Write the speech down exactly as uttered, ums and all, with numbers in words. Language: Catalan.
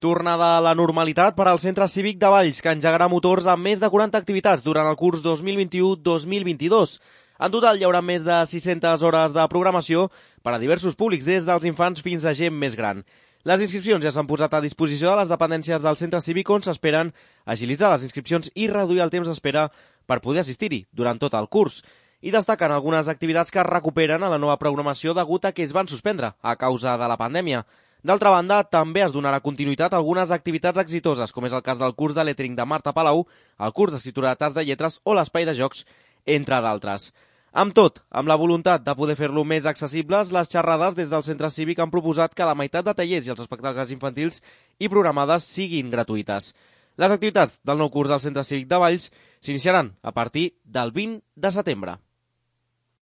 Tornada a la normalitat per al Centre Cívic de Valls, que engegarà motors amb més de quaranta activitats durant el curs dos mil vint-i-u dos mil vint-i-dos. En total hi haurà més de sis-centes hores de programació per a diversos públics, des dels infants fins a gent més gran. Les inscripcions ja s'han posat a disposició de les dependències del Centre Cívic, on s'esperen agilitzar les inscripcions i reduir el temps d'espera per poder assistir-hi durant tot el curs. I destaquen algunes activitats que es recuperen a la nova programació degut a que es van suspendre a causa de la pandèmia. D'altra banda, també es donarà continuïtat a algunes activitats exitoses, com és el cas del curs de lettering de Marta Palau, el curs d'escriptura de tas de lletres o l'espai de jocs, entre d'altres. Amb tot, amb la voluntat de poder fer-lo més accessibles, les xerrades des del Centre Cívic han proposat que la meitat de tallers i els espectacles infantils i programades siguin gratuïtes. Les activitats del nou curs del Centre Cívic de Valls s'iniciaran a partir del vint de setembre.